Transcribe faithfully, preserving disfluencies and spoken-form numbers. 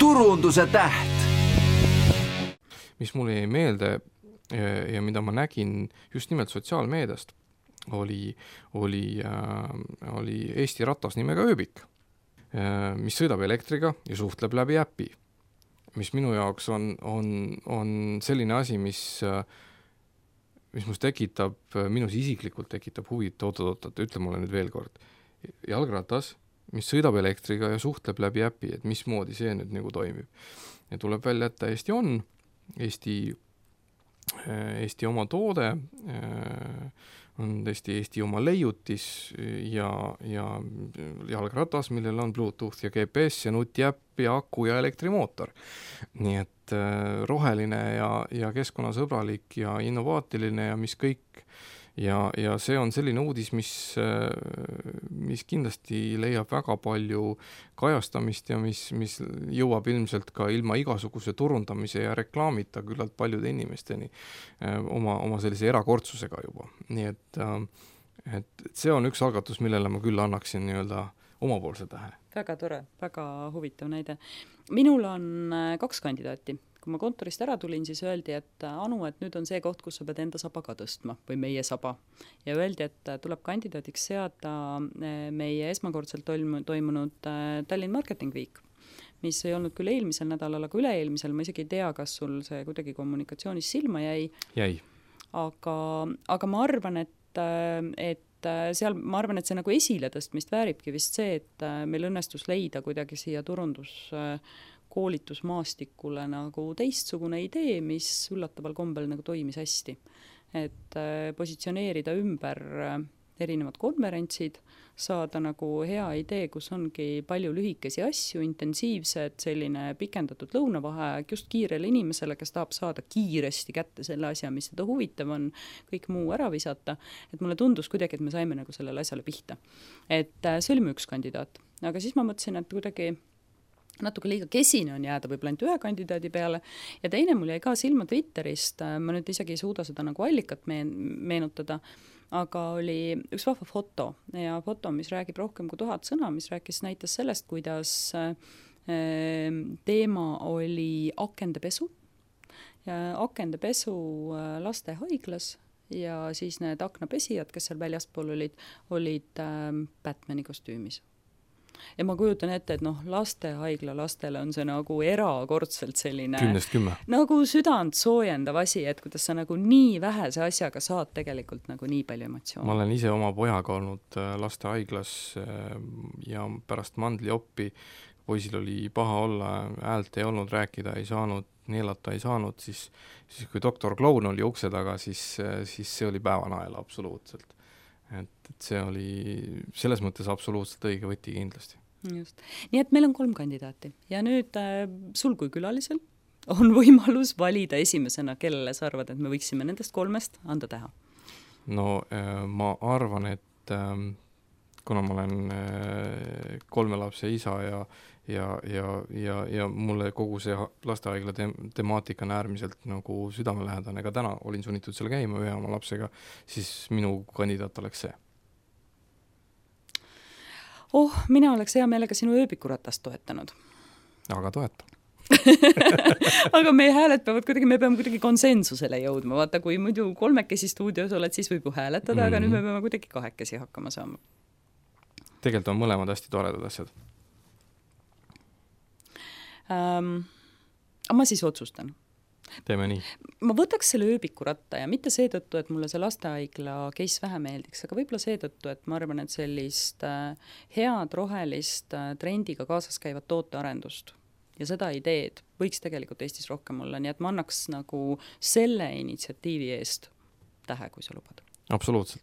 turunduse täht. Mis mulle jäi meelde ja mida ma nägin just nimelt sotsiaalmeediast, oli, oli, äh, oli Eesti ratas nimega ööbik, äh, mis sõidab elektriga ja suhtleb läbi äpi, mis minu jaoks on, on, on selline asi, mis, äh, mis must tekitab, minus isiklikult tekitab huvit, oot-oot-oot, ütle mulle nüüd veel kord. Jalgratas, mis sõidab elektriga ja suhtleb läbi äpi, et mismoodi see nüüd nagu toimib. Ja tuleb välja, et täiesti on Eesti, Eesti oma toode, on tõesti Eesti oma leiutis ja, ja jalgratas, millel on Bluetooth ja G P S ja nutiäpp ja aku ja elektrimootor. Nii et roheline ja, ja keskkonnasõbralik ja innovaatiline ja mis kõik. Ja, ja see on selline uudis, mis, mis kindlasti leiab väga palju kajastamist ja mis, mis jõuab ilmselt ka ilma igasuguse turundamise ja reklaamita küllalt paljude inimesteni oma, oma sellise erakordsusega juba. Nii et, et see on üks algatus, millele ma küll annaksin nii-öelda omapoolse tähe. Väga tore, väga huvitav näide. Minul on kaks kandidaati. Kui ma kontorist ära tulin, siis öeldi, et Anu, et nüüd on see koht, kus sa pead enda saba ka tõstma või meie saba. Ja öeldi, et tuleb kandidaadiks seada meie esmakordselt toimunud Tallinn Marketing Week, mis ei olnud küll eelmisel nädalal, aga üle-eelmisel. Ma isegi ei tea, kas sul see kuidagi kommunikatsioonis silma jäi. Jäi. Aga, aga ma arvan, et, et seal, ma arvan, et see nagu esile tõstmist vääribki vist see, et meil õnnestus leida kuidagi siia turundus koolitusmaastikule nagu teistsugune idee, mis üllataval kombel nagu toimis hästi. Et positsioneerida ümber erinevad konverentsid, saada nagu hea idee, kus ongi palju lühikesi asju, intensiivsed, selline pikendatud lõunavaheaeg just kiirele inimesele, kes tahab saada kiiresti kätte selle asja, mis seda huvitav on, kõik muu ära visata. Et mulle tundus kuidagi, et me saime nagu sellele asjale pihta. Et see oli mu üks kandidaat. Aga siis ma mõtlesin, et kuidagi natuke liiga kesine on jääda võib-olla ainult ühe kandidaadi peale ja teine mul jäi ka silma Twitterist, ma nüüd isegi ei suuda seda nagu allikat meenutada, aga oli üks vahva foto ja foto, mis räägib rohkem kui tuhat sõna, mis rääkis näitas sellest, kuidas teema oli akendepesu ja akendepesu lastehaiglas ja siis need aknapesijad, kes seal väljaspool olid, olid Batmani kostüümis. Ja ma kujutan ette, et noh, lastehaigla lastele on see nagu erakordselt selline kümnest kümme. Nagu südant soojendav asi, et kuidas sa nagu nii vähese asjaga saad tegelikult nagu nii palju emotsioone. Ma olen ise oma pojaga olnud lastehaiglas ja pärast mandlioppi poisil oli paha olla, häält ei olnud, rääkida ei saanud, neelata ei saanud, siis, siis kui doktor Kloun oli ukse taga, siis, siis see oli päevanaela absoluutselt. Et, et see oli selles mõttes absoluutselt õige võti kindlasti. Just. Nii et meil on kolm kandidaati ja nüüd äh, sul kui külalisel on võimalus valida esimesena, kellele sa arvad, et me võiksime nendest kolmest anda teha. No äh, ma arvan, et äh, kuna ma olen äh, kolme lapse isa ja Ja, ja, ja, ja mulle kogu see lastehaigla te- temaatika on äärmiselt nagu südamelähedane, ka täna olin sunnitud seal käima ühe oma lapsega, siis minu kandidaat oleks see. Oh, mina oleks hea meelega sinu ööbikuratast toetanud. Aga toeta. Aga meie hääled peavad kuidagi, me peame kuidagi konsensusele jõudma. Vaata, kui muidu kolmekesi stuudios oled, siis võib ju hääletada, mm-hmm. aga nüüd me peame kuidagi kahekesi hakkama saama. Tegelikult on mõlemad hästi toredad asjad. Um, aga ma siis otsustan. Teeme nii. Ma võtaks selle ööbikuratta ja mitte seetõttu, et mulle see lastehaigla case vähe meeldiks, aga võib-olla seetõttu, et ma arvan, et sellist head rohelist trendiga kaasas käivat tootearendust ja seda ideed võiks tegelikult Eestis rohkem olla, nii et ma annaks nagu selle initsiatiivi eest tähe, kui sa lubad. Absoluutselt.